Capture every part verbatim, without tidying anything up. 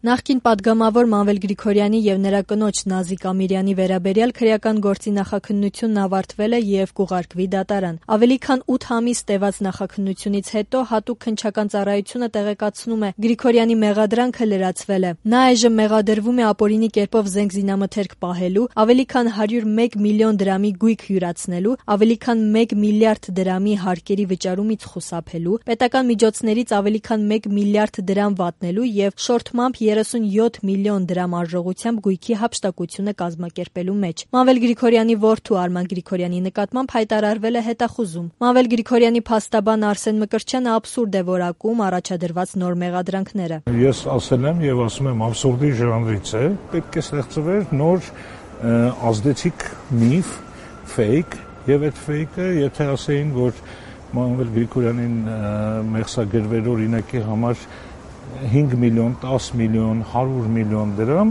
Նախկին պատգամավոր Մանվել Գրիգորյանի եւ նրա կնոջ Նազիկ Ամիրյանի վերաբերյալ քրեական գործի նախաքննությունն ավարտվել է եւ կուղարկվի դատարան։ Ավելի քան ութ ամիս տևած նախաքննությունից հետո հատուկ քննչական ծառայությունը տեղեկացնում է Գրիգորյանի մեղադրանքը լրացվել է։ Նա այժմ մեղադրվում է ապօրինի կերպով զենք զինամթերք պահելու, ավելի քան հարյուր մեկ միլիոն դրամի գույք յուրացնելու, ավելի քան մեկ միլիարդ դրամի հարկերի վճարումից խուսափելու, պետական միջոցներից ավելի քան մեկ միլիարդ դրամ վատնելու եւ շորթմամբ երեսունյոթ միլիոն դրամ արժողությամբ գույքի հափշտակությունը կազմակերպելու մեջ։ Մանվել Գրիգորյանի որդու Արման Գրիգորյանի նկատմամբ հայտարարվել է հետախուզում։ Մանվել Գրիգորյանի փաստաբան Արսեն Մկրտչյանը աբսուրդ է որակում առաջադրված նոր մեղադրանքները։ Ես ասել եմ եւ ասում եմ աբսուրդի ժանրից է, պետք է ստեղծվեր նոր ազդեցիկ միֆ, ֆեյք, եւ այդ ֆեյքը, եթե ասեին, որ Մանվել Գրիգորյանին մեղսագրվեր օրինակի համար հինգ միլիոն, տասը միլիոն, հարյուր միլիոն դրամ,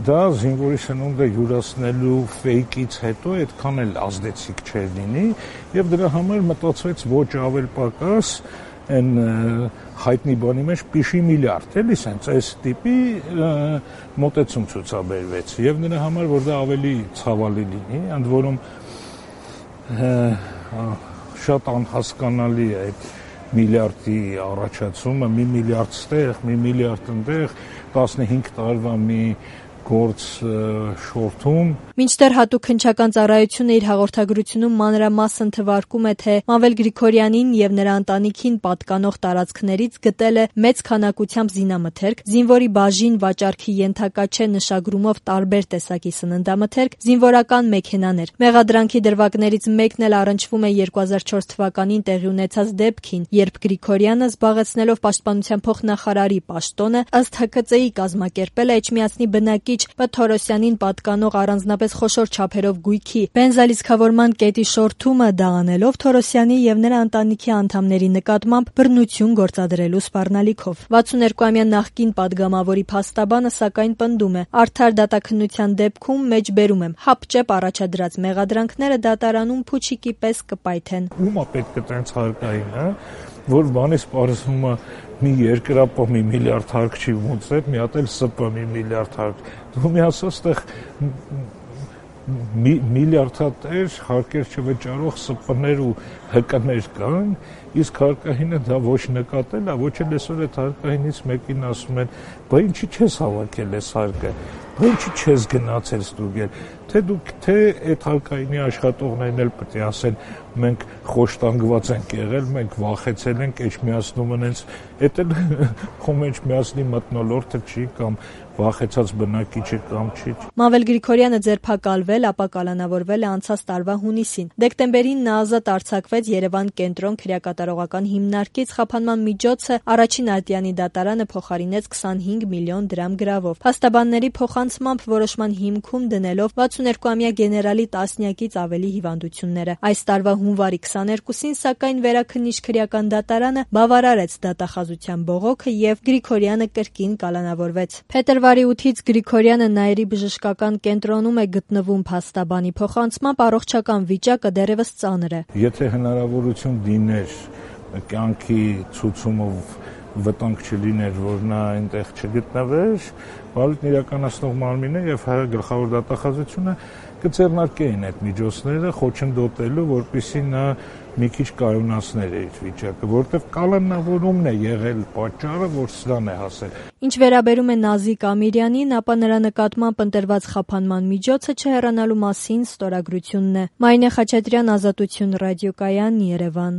դա զինվորի սնունդը յուրացնելու ֆեյքից հետո այդքան էլ ազդեցիկ չէր լինի եւ դրա համար մտածվեց ոչ ավել պակաս այն հայտնի բանի մեջ պիշի միլիարդ, էլի սենց այս տիպի մոտեցում ցուցաբերվեց եւ նրա համար որ դա ավելի ցավալի լինի, ընդ որում շատ անհասկանալի է այդ միլիարդի առաջացումը, մի միլիարդ ստեղ, մի միլիարդ ընդեղ, տասնհինգ տարվա մի գործ շորթում։ Մինչդեռ հատուկ քննչական ծառայությունը իր հաղորդագրությունում մանրամասն թվարկում է, թե Մանվել Գրիգորյանին եւ նրա ընտանիքին պատկանող տարածքներից գտել է մեծ քանակությամբ զինամթերք, զինվորի բաժին վաճառքի ենթակա չէ նշագրումով տարբեր տեսակի սննդամթերք, զինվորական մեքենաներ։ Մեղադրանքի դրվագներից մեկն էլ առնչվում է երկու հազար չորս թվականին տեղի ունեցած դեպքին, երբ Գրիգորյանը զբաղեցնելով պաշտպանության փոխնախարարի պաշտոնը ըստ Հ K C-ի կազմակերպել է Էջմիածնի բնակիչ Բ Թորոսյանին պատկանող առանձնապես խոշոր չափերով գույքի բենզալիցքավորման կետի շորթումը դա անելով Թորոսյանի եւ նրա ընտանիքի անդամների նկատմամբ բռնություն գործադրելու սպառնալիքով։ վաթսունհերկուամյա նախկին պատգամավորի փաստաբանը սակայն պնդում է. արդար դատաքննության դեպքում մեջբերում եմ հապճեպ առաջադրած մեղադրանքները դատարանում փուչիկի պես կպայթեն։ Ումա պետք է տենց հարկային, հա, որ բանից պարզվում է մի երկրապո մի միլիարդ հարկ չի ոնց է, մի հատ էլ Ս П մի միլիարդ հարկ։ Դու մի ասա ստեղ միլիարդատեր հարկեր չվճարող Ս П-ներ ու Հ Կ-ներ կան, իսկ հարկահինը դա ոչ նկատել է, ոչ էլ այսօր այդ հարկահինից մեկին ասում են, բա ինչի չես հավաքել այս հարկը, բա ինչի չես գնացել ստուգել, թե դուք թե այդ հարկայինի աշխատողներն էլ պետք է ասեն մենք խոշտանգված ենք եղել, մենք վախեցել ենք, Էջմիածնում այնց, էդ էլ խոմ Էջմիածնի մթնոլորտը չի կամ վախեցած բնակիչը կամ չի։ Մանվել Գրիգորյանը ձերբակալվել, ապա կալանավորվել է անցած տարվա հունիսին։ Դեկտեմբերին նա ազատ արձակվեց Երևան կենտրոն քրեակատարողական հիմնարկից, խափանման միջոցը առաջին ատյանի դատարանը փոխարինեց քսանհինգ միլիոն դրամ գրավով։ Փաստաբանների փոխանցմամբ որոշման հիմքում դնելով վաթսունհերկուամյա գեներալի տասնյակից ավելի հիվանդությունները։ Այս տարվա հունվարի քսաներկուսին սակայն վերաքննիչ քրեական դատարանը բավարարեց դատախազության բողոքը եւ Գրիգորյանը կրկին կալանավորվեց։ Փետրվարի ութից Գրիգորյանը Նաիրի բժշկական կենտրոնում է գտնվում փաստաբանի փոխանցմամբ առողջական վիճակը դեռևս ծանր է։ Եթե հնարավորություն դիներ կյանքի ցուցումով վտանգ չլիներ, որ նա այնտեղ չգտնվեր, բալիկն իրականացնող մարմինը եւ հայ գլխավոր դատախազությունը կձեռնարկեին այդ միջոցները խոչընդոտելու, որպեսզի նա մի քիչ կայունացներ իր վիճակը, որտեղ կալանավորումն է եղել պատճառը, որ սրան է հասել։ Ինչ վերաբերում է Նազիկ Ամիրյանին, ապա նրա նկատմամբ ընտրված խափանման միջոցը չհեռանալու մասին ստորագրությունն է։ Մայնե Խաչատրյան, Ազատություն ռադիոկայան, Երևան։